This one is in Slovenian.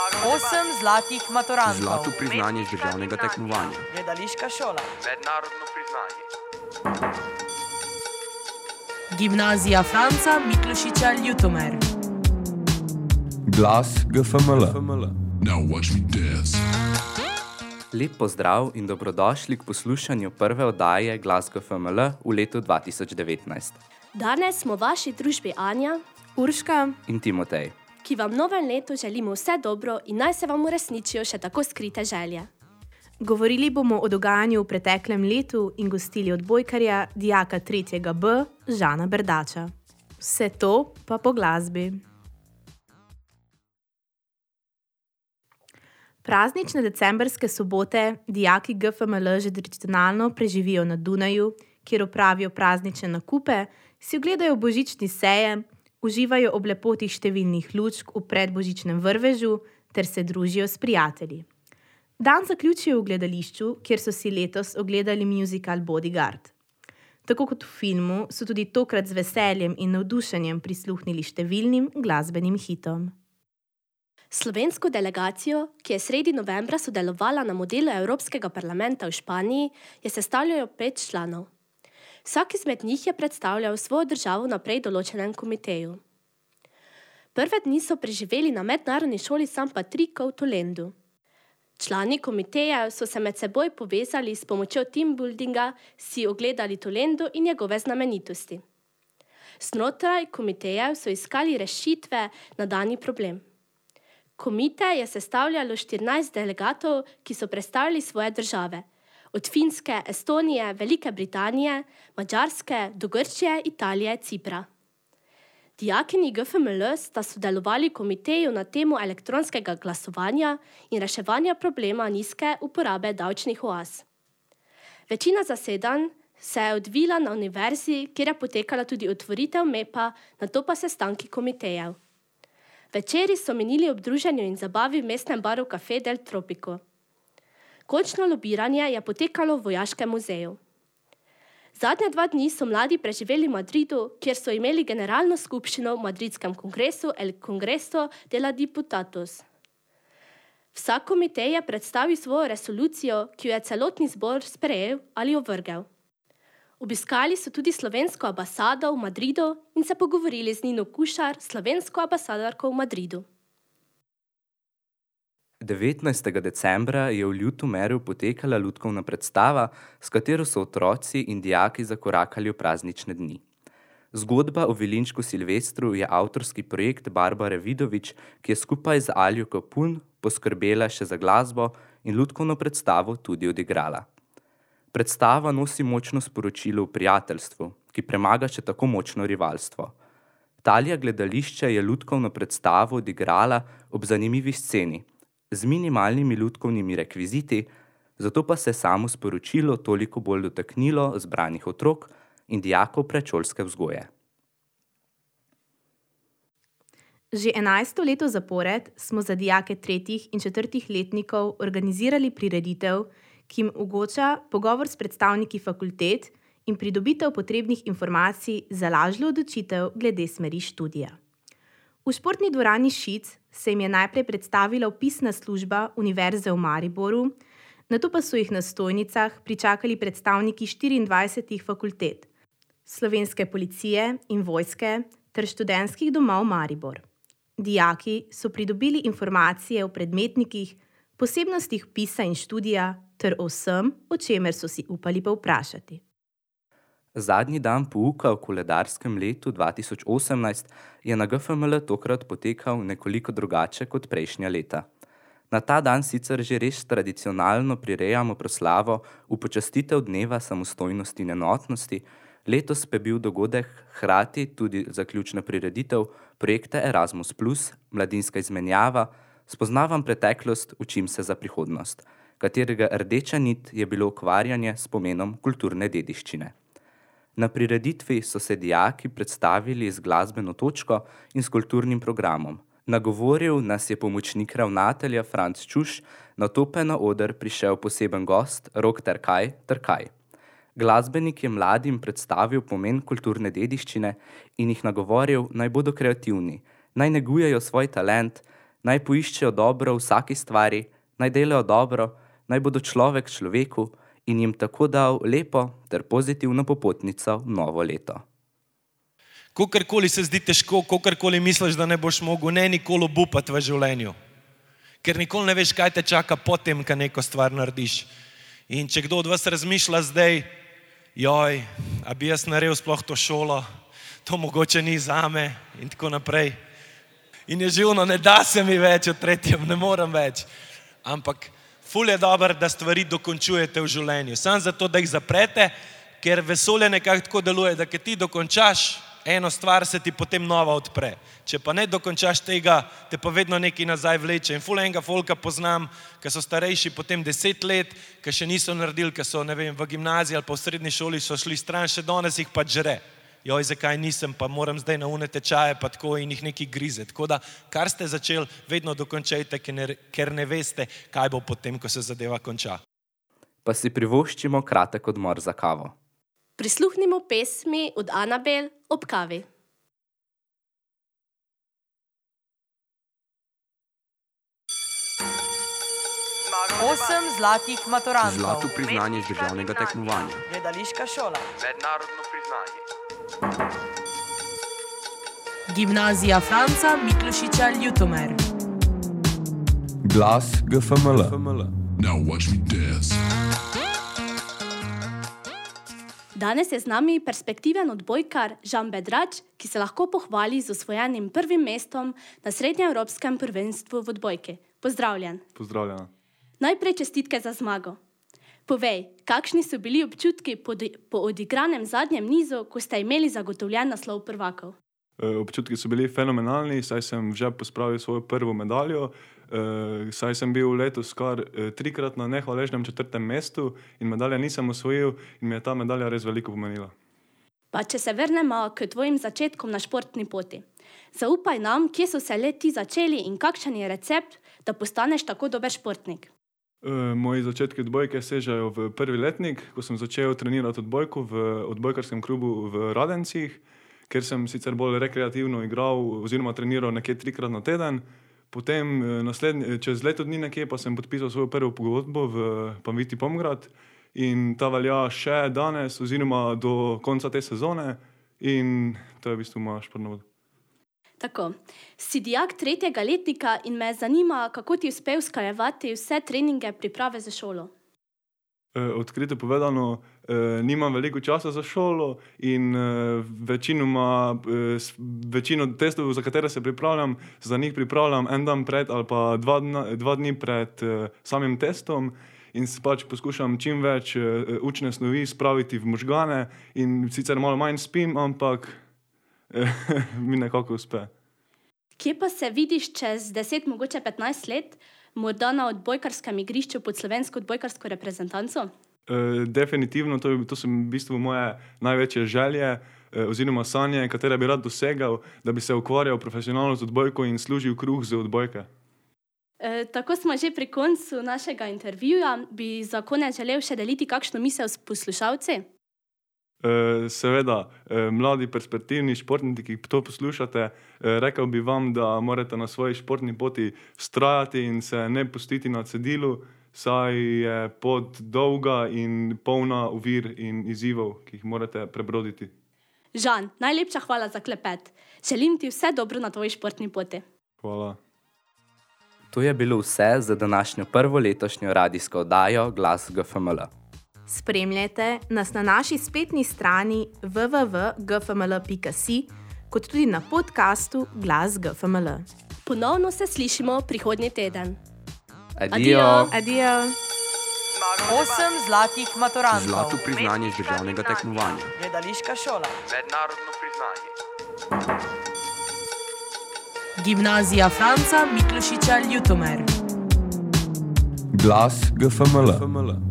8 zlatih maturantov. Zlato priznanje z državnega tekmovanja. Gledališka šola. Mednarodno priznanje. Gimnazija Franca Miklošiča Ljutomer. Glas GFML. Now watch me dance. Lep pozdrav in dobrodošli k poslušanju prve oddaje Glas GFML v letu 2019. Danes smo v vaši družbi Anja, Urška In Timotej. ki vam v novem letu želimo vse dobro in naj se vam uresničijo še tako skrite želje. Govorili bomo o dogajanju v preteklem letu in gostili odbojkarja, dijaka 3. B, Žana Berdača. Vse to pa po glasbi. Praznične decembrske sobote dijaki GFML že tradicionalno preživijo na Dunaju, kjer opravijo praznične nakupe, si ogledajo božični sejem, uživajo ob lepoti številnih lučk v predbožičnem vrvežu ter se družijo s prijatelji. Dan zaključijo v gledališču, kjer so si letos ogledali musical Bodyguard. Tako kot v filmu, so tudi tokrat z veseljem in navdušenjem prisluhnili številnim glasbenim hitom. Slovensko delegacijo, ki je sredi novembra sodelovala na modelu Evropskega parlamenta v Španiji, je sestavljalo 5 članov. Vsak izmed njih je predstavljal svojo državo na prej določenem komiteju. Prve dni so preživeli na mednarodni šoli San Patricio v Tolendu. Člani komiteja so se med seboj povezali s pomočjo teambuildinga, si ogledali Tolendo in njegove znamenitosti. Znotraj komiteja so iskali rešitve na dani problem. Komite je sestavljalo 14 delegatov, ki so predstavljali svoje države. Od Finske, Estonije, Velike Britanije, Madžarske do Grčije, Italije, Cipra. Dijakini GFML sta sodelovali v komiteju na temo elektronskega glasovanja in reševanja problema nizke uporabe davčnih oaz. Večina zasedanj se je odvila na univerzi, kjer je potekala tudi otvoritev MEP-a, nato pa sestanki komitejev. Večeri so minili ob druženju in zabavi v mestnem baru Café del Tropico. Končno lobiranje je potekalo v Vojaškem muzeju. Zadnje 2 dni so mladi preživeli v Madridu, kjer so imeli generalno skupščino v madridskem kongresu El Congreso de la Diputados. Vsak komitej je predstavil svojo resolucijo, ki jo je celotni zbor sprejel ali ovrgel. Obiskali so tudi slovensko ambasado v Madridu in se pogovorili z Nino Kušar, slovensko ambasadorko v Madridu. 19. decembra je v Ljutomeru potekala lutkovna predstava, s katero so otroci in dijaki zakorakali v praznične dni. Zgodba o Vilinčku Silvestru je avtorski projekt Barbare Vidovič, ki je skupaj z Aljo Kapun poskrbela še za glasbo in lutkovno predstavo tudi odigrala. Predstava nosi močno sporočilo v prijateljstvu, ki premaga še tako močno rivalstvo. Talija gledališče je lutkovno predstavo odigrala ob zanimivi sceni, z minimalnimi lutkovnimi rekviziti, zato pa se samo sporočilo toliko bolj dotaknilo zbranih otrok in dijakov predšolske vzgoje. Že 11. leto zapored smo za dijake 3. in 4. letnikov organizirali prireditev, ki jim omogoča pogovor s predstavniki fakultet in pridobitev potrebnih informacij za lažjo odločitev glede smeri študija. V športni dvorani Šic se jim je najprej predstavila vpisna služba Univerze v Mariboru, nato pa so jih na stojnicah pričakali predstavniki 24 fakultet, Slovenske policije in vojske ter študentskih domov Maribor. Dijaki so pridobili informacije o predmetnikih, posebnostih vpisa in študija ter o vsem, o čemer so si upali povprašati. Zadnji dan pouka v koledarskem letu 2018 je na GFML tokrat potekal nekoliko drugače kot prejšnja leta. Na ta dan sicer že res tradicionalno prirejamo proslavo v počastitev dneva samostojnosti in enotnosti, letos pa je bil dogodek hkrati tudi zaključna prireditev projekta Erasmus+, mladinska izmenjava, spoznavam preteklost, učim se za prihodnost, katerega rdeča nit je bilo ukvarjanje s pomenom kulturne dediščine. Na prireditvi so se dijaki predstavili z glasbeno točko in s kulturnim programom. Nagovoril nas je pomočnik ravnatelja Franc Čuš, nato pa je na oder prišel poseben gost Rok Trkaj. Glasbenik je mladim predstavil pomen kulturne dediščine in jih nagovoril, naj bodo kreativni, naj negujejo svoj talent, Naj poiščejo dobro v vsaki stvari, naj delajo dobro, naj bodo človek človeku in jim tako dal lepo ter pozitivno popotnico v novo leto. Kokarkoli se zdi težko, kokarkoli misliš, da ne boš mogel, ne nikoli obupati v življenju. Ker nikoli ne veš, kaj te čaka potem, ko neko stvar narediš. In če kdo od vas razmišlja zdaj, joj, a bi jaz naredil sploh to šolo, to mogoče ni zame in tako naprej. In je živno, ne da se mi več v tretjem, ne morem več. Ampak ful je dobro, da stvari dokončujete v življenju. Samo zato, da jih zaprete, ker vesolje nekako tako deluje, da keď ti dokončaš eno stvar, se ti potem nova odpre. Če pa ne dokončaš tega, te pa vedno nekaj nazaj vleče. In ful enega folka poznam, ki so starejši potem 10 let, ki še niso naredili, ki so, ne vem, v gimnaziji ali pa v srednji šoli so šli stran, še danes jih pa žre. Joj, zakaj nisem, pa moram zdaj na une tečaje, pa tako in jih nekaj grize. Tako da, kar ste začeli, vedno dokončajte, ker ne veste, kaj bo potem, ko se zadeva konča. Pa si privoščimo kratek odmor za kavo. Prisluhnimo pesmi od Anabel ob kavi. Osem zlatih maturantov. Zlato priznanje z državnega tekmovanja. Gledališka šola. Mednarodno priznanje. Gimnazija Franca Miklošiča Ljutomer. Glas GFML. Now watch me dance. Danes je z nami perspektiven odbojkar Žan Bedrač, ki se lahko pohvali z osvojenim prvim mestom na srednjeevropskem prvenstvu v odbojki. Pozdravljen. Pozdravljena. Najprej čestitke za zmago. Povej, kakšni so bili občutki po odigranem zadnjem nizu, ko ste imeli zagotovljen naslov prvakov? Občutki so bili fenomenalni, saj sem že pospravil svojo prvo medaljo, saj sem bil letos kar 3-krat na nehvaležnem 4. mestu in medalje nisem osvojil in mi je ta medalja res veliko pomenila. Pa če se vrnemo k tvojim začetkom na športni poti. Zaupaj nam, kje so se le ti začeli in kakšen je recept, da postaneš tako dober športnik. Moji začetki odbojke sežejo v prvi letnik, ko sem začel trenirati odbojko v odbojkarskem klubu v Radencih, ker sem sicer bolj rekreativno igral oziroma treniral nekje 3-krat na teden. Potem čez leto dni nekje pa sem podpisal svojo prvo pogodbo v Panviti Pomgrad in ta velja še danes oziroma do konca te sezone in to je v bistvu moja športna pot. Tako, si dijak 3. letnika in me zanima, kako ti uspel usklajevati vse treninge priprave za šolo. Odkrito povedano, nimam veliko časa za šolo in večino testov, za katere se pripravljam, za njih pripravljam en dan pred ali pa dva dni pred samim testom in pač poskušam čim več učne snovi spraviti v možgane in sicer malo manj spim, ampak mi nekako uspe. Kje pa se vidiš čez 10, mogoče 15 let, morda na odbojkarskem igrišču pod slovensko odbojkarsko reprezentanco? Definitivno, to so v bistvu moje največje želje oziroma sanje, katere bi rad dosegal, da bi se ukvarjal profesionalno z odbojko in služil kruh z odbojke. Tako smo že pri koncu našega intervjuja. Bi za konec želel še deliti kakšno misel s poslušalci? Seveda, mladi perspektivni športniki, ki to poslušate, rekel bi vam, da morate na svoji športni poti vztrajati in se ne pustiti na cedilu, saj je pot dolga in polna ovir in izzivov, ki jih morate prebroditi. Žan, najlepša hvala za klepet. Želim ti vse dobro na tvoji športni poti. Hvala. To je bilo vse za današnjo prvo letošnjo radijsko oddajo Glas GFML. Spremljajte nas na naši spletni strani www.gfml.si, kot tudi na podcastu Glas GFML. Ponovno se slišimo prihodnji teden. Adijo. Adijo. 8 zlatih maturantov. Zlato priznanje z državnega tekmovanja. Gledališka šola. Mednarodno priznanje. Gimnazija Franca Miklošiča Ljutomer. Glas GFML.